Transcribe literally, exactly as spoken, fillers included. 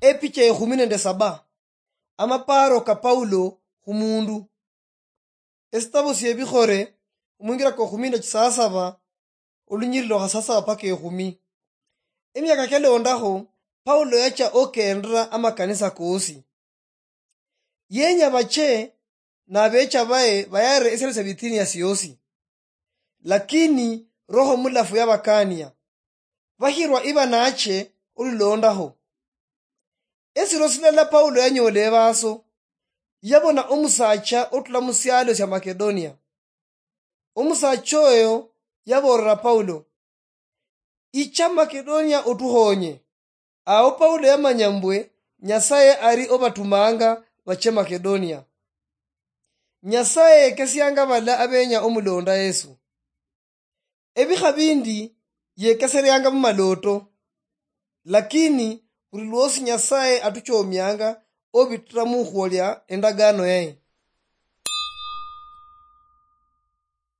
Epicha ekhumi nende saba. Amapaaro ka Paulo khumundu. Esitabu siebikhore, omwingira kwa khuminda chisasaba, olunyiriri lwa khasasaba paka ekhumi. Emiaka kyalondakho, Paulo yacha okendera amakanisa koosi. Yenya bache nabecha baye bayarire esialo sia Bithinia siosi. Lakini Roho Mulafu yabakania. Bahirwa iba nache olulondaho. Esiro silala Paulo yanyoola ebaaso, yabona omusaacha otula mu syaalo sya Makedonia. Omusaacha oyo yaboolera Paulo, "Icha Makedonia otuhoonye." Awo Paulo yamanya mbwe Nyasaye ari obatumanga bache Makedonia. Nyasaye yekesianga bala abenya omulonda Yesu. Ebikha bindi yekesereanga mu malooto, lakini buli lwosi Nyasaye atuchoomianga obitira mukhwolya endagaano yaye.